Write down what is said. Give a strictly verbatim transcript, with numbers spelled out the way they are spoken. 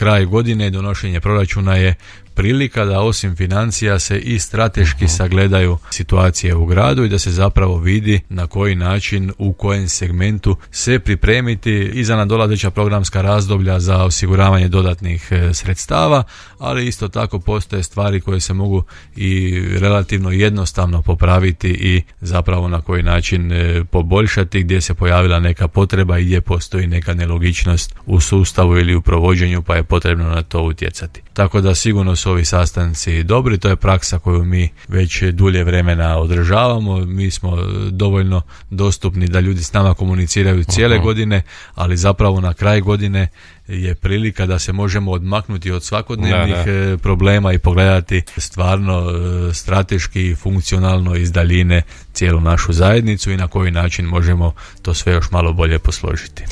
kraj godine, donošenje proračuna je prilika da osim financija se i strateški uh-huh. sagledaju situacije u gradu i da se zapravo vidi na koji način, u kojem segmentu se pripremiti i za nadolazeća programska razdoblja za osiguravanje dodatnih e, sredstava, ali isto tako postoje stvari koje se mogu i relativno jednostavno popraviti i zapravo na koji način e, poboljšati gdje se pojavila neka potreba i gdje postoji neka nelogičnost u sustavu ili u provođenju, pa je potrebno na to utjecati. Tako da sigurno su ovi sastanci dobri, to je praksa koju mi već dulje vremena održavamo, mi smo dovoljno dostupni da ljudi s nama komuniciraju cijele uh-huh. godine, ali zapravo na kraj godine je prilika da se možemo odmaknuti od svakodnevnih da, da. problema i pogledati stvarno strateški i funkcionalno iz daljine cijelu našu zajednicu i na koji način možemo to sve još malo bolje posložiti.